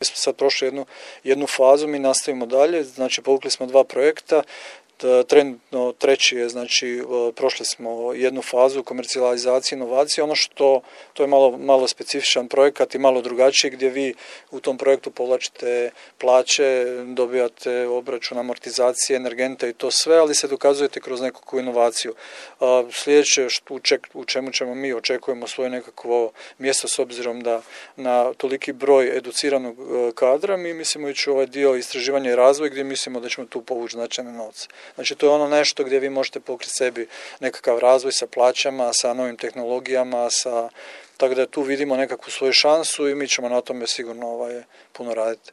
Mi smo sad prošli jednu fazu, mi nastavimo dalje, znači povukli smo 2 projekta, trenutno treći je, znači prošli smo jednu fazu komercijalizacije, inovacije, ono što to je malo specifičan projekat i malo drugačiji gdje vi u tom projektu povlačite plaće, dobijate obračun amortizacije, energente i to sve, ali se dokazujete kroz nekakvu inovaciju. Sljedeće u čemu ćemo mi očekujemo svoje nekakvo mjesto s obzirom da na toliki broj educiranog kadra, mi mislimo ići u ovaj dio istraživanja i razvoja gdje mislimo da ćemo tu povući značajne novce. Znači to je ono nešto gdje vi možete pokriti sebi nekakav razvoj sa plaćama, sa novim tehnologijama, tako da tu vidimo nekakvu svoju šansu i mi ćemo na tome sigurno puno raditi.